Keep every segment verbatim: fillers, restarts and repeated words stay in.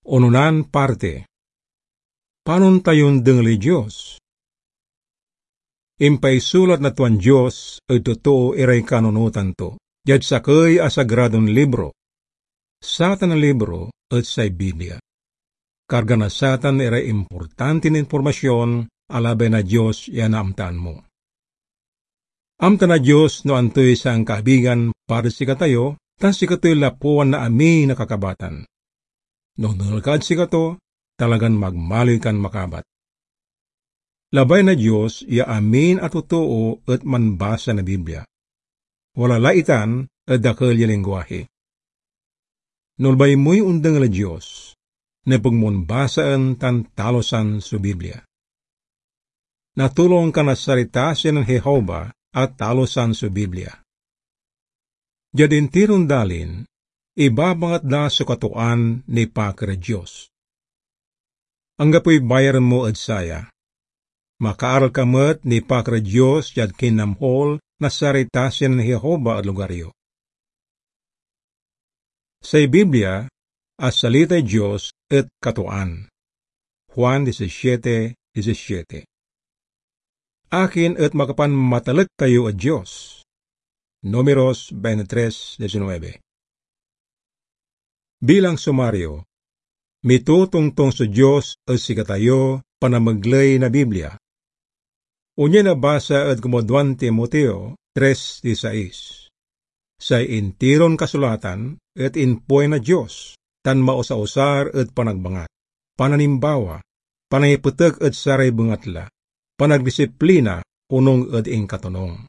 Ononan parti. Panon tayon dengeli Dios? Impaisulat na tuan Dios ed totoo iray kanunotan to, diad sakey a sagradon libro. Satan a libro et say Biblia. Karga na satan iray importantin impormasyon a labay na Dios ya naamtaan mo. Amta na Dios no antoy sankaabigan para sikatayo, tan sikatoy lapuan na amin a kakabatan. No onel kad sikato, talagan magmaliw kan makabat. Labay na Dios ya amin a totoo et manbasa na Biblia. Wala la itan ed dakel ya lingguahi. No labay moy ondengel ed Dios, nepeg mon basaen tan talusan so Biblia. Natulong ka na saray tasi nen Jehovah a talusan so Biblia. Diad intiron dalin, ibabangat da so katoan nipaakar ed Dios. Anggapoy bayaren mo ed saya. Makaaral ka met nipaakar ed Dios diad kinamhol na saray tasi nen Jehovah ed lugar yo. Say Biblia a salitay Dios et katoan. Juan disisiete disisiete. Akin et makapanmatalek kayo ed Dios? Números veintitrés diecinueve. Bilang sumario, mitotongtong so Dios ed sikatayo panamegley na Biblia. Onia nabasa ed kumaduan Timoteo tres disais. Say intiron kasulatan et impuay na Dios tan maosaosar ed panagbangat, pananimbawa, panangipetek ed saray bengatla, panagdisiplina onung ed inkatonung.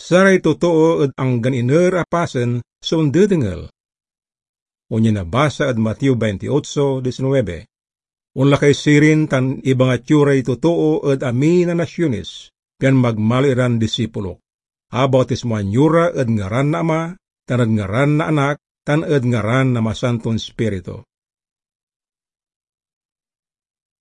Saray totoo ed anggan iner a pasen so ondedengel. Onia nabasa ed Mateo veintiocho diecinueve, "Onla kay sirin tan ibangat yo ray totoo ed amin a nasiones, pian magmaliw iran disipulok. Abautismoan yo ra ed ngaran na Ama, tan ed ngaran na Anak, tan ed ngaran na Masanton Ispiritu."